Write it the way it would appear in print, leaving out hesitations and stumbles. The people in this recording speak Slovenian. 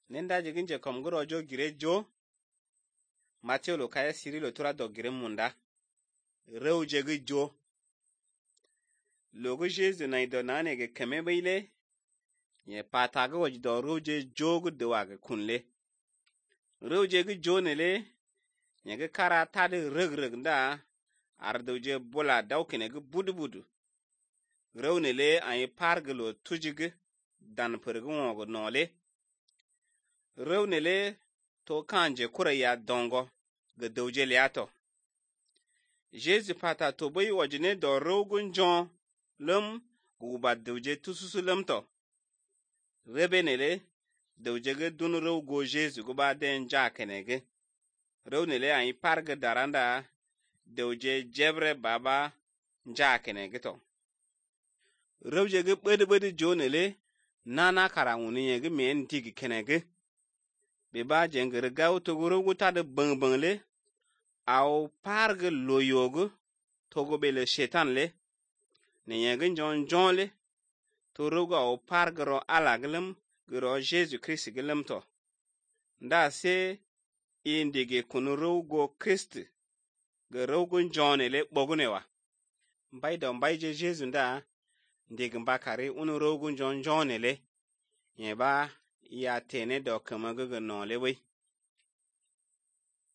Nenda jigin je kom guro jo gire jo. Matthew lo kaya siri lo tura do gire munda. Rew jegi jo. Logo Jesu na ido nane ge keme baile. Ye pataga waj do rew je jo gu dewa ge kunle. Rew jegi jo nele. Ye ge kara tade reg nda. Ardo je bola dawkine ge budu. Rew nele anye pargelo tujige. Dan perge wongo nole. Rew nele to kanje kura ya dongo ge dowje liato. Jesu pata to bai wajine do rew gun jon lum guba dowje tususu lum to. Rebe nele dowje ge dun rew go Jesu guba den jakenege. Rew nele anye parge daranda dowje jebre baba jakenege to. Rew jege bede jo nele nana karawuni yege men tigi kenege. Beba jengere gaw to guru guta de bang le. Aw parge loyogu togo bele shetan le. Ne yege jon le. To rogo aw parge ro alaglem gro Jesu Christ gelem to. Nda se indige kunu rogo Christ. Ge rogo jon le bogunewa. Mbai je Jesu nda. Ndig mbakari unu rogo jon le. Yeba ya tene do kamaga no le we.